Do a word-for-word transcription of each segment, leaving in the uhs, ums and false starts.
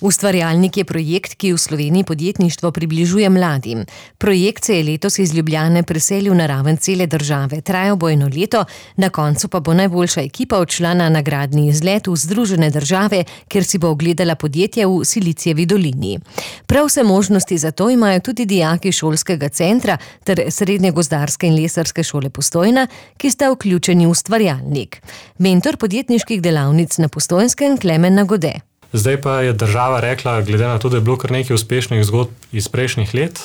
Ustvarjalnik je projekt, ki v Sloveniji podjetništvo približuje mladim. Projekt se je letos iz Ljubljane preselil na raven cele države. Trajal bo eno leto, na koncu pa bo najboljša ekipa odšla na nagradni izlet v Združene države, kjer si bo ogledala podjetja v Silicijevi dolini. Prav vse možnosti za to imajo tudi dijaki šolskega centra ter Srednje gozdarske in lesarske šole Postojna, ki sta vključeni v ustvarjalnik. Mentor podjetniških delavnic na Postojnskem Klemen Nagode. Zdaj pa je država rekla, glede na to, da je bilo kar nekaj uspešnih zgodb iz prejšnjih let,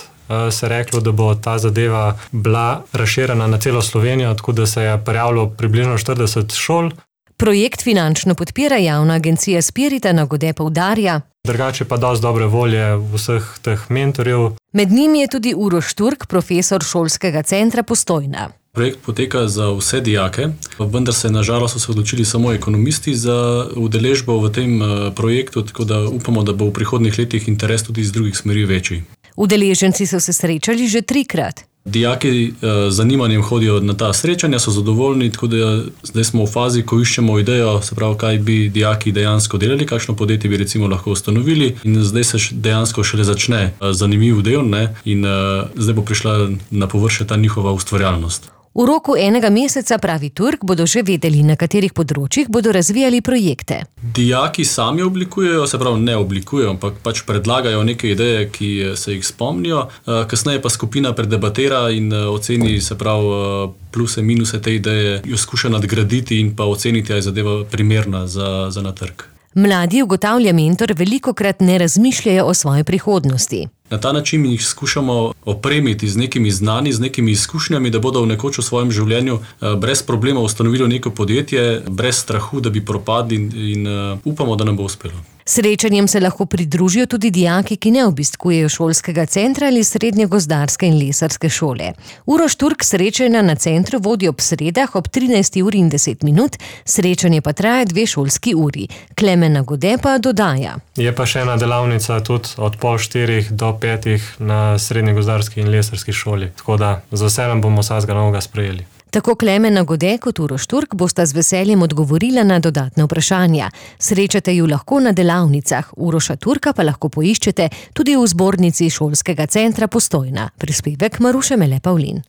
se je reklo, da bo ta zadeva bila razširjena na celo Slovenijo, tako da se je prijavilo približno štirideset šol. Projekt finančno podpira javna agencija Spirita, Nagode poudarja. Drugače pa dosti dobre volje vseh teh mentorjev. Med njimi je tudi Uroš Turk, profesor šolskega centra Postojna. Projekt poteka za vse dijake, vendar se na žalost so odločili samo ekonomisti za udeležbo v tem projektu, tako da upamo, da bo v prihodnjih letih interes tudi iz drugih smeri večji. Udeleženci so se srečali že trikrat. Dijaki z zanimanjem hodijo na ta srečanja, so zadovoljni, tako da zdaj smo v fazi, ko iščemo idejo, se pravi, kaj bi dijaki dejansko delali, kakšno podjetje bi recimo lahko ustanovili, in zdaj se dejansko šele začne zanimiv del, ne, in zdaj bo prišla na površje ta njihova ustvarjalnost. V roku enega meseca, pravi Turk, bodo že vedeli, na katerih področjih bodo razvijali projekte. Dijaki sami oblikujejo, se pravi ne oblikujejo, ampak pač predlagajo neke ideje, ki se jih spomnijo, kasneje pa skupina predebatira in oceni, se pravi, pluse, minuse te ideje, jo skuša nadgraditi in pa oceniti, ali je zadeva primerna za, za na trg. Mladi, ugotavlja mentor, velikokrat ne razmišljajo o svoji prihodnosti. Na ta način jih skušamo opremiti z nekimi znani, z nekimi izkušnjami, da bodo v nekoč v svojem življenju brez problema ustanovili neko podjetje, brez strahu, da bi propadli, in, in upamo, da nam bo uspelo. Srečanjem se lahko pridružijo tudi dijaki, ki ne obiskujejo šolskega centra ali Srednje gozdarske in lesarske šole. Uroš Turk srečanja na centru vodi ob sredah ob trinajsti uri in deset minut, srečanje pa traja dve šolski uri. Klemen Nagode pa dodaja. Je pa še ena delavnica tudi od pol štirih do petih na Srednje gozdarski in lesarski šoli, tako da za vse nam bomo vsakega novega sprejeli. Tako Klemen Nagode kot Uroš Turk bosta z veseljem odgovorila na dodatne vprašanja. Srečate ju lahko na delavnicah, Uroša Turka pa lahko poiščete tudi v zbornici šolskega centra Postojna. Prispevek Maruše Mele Pavlin.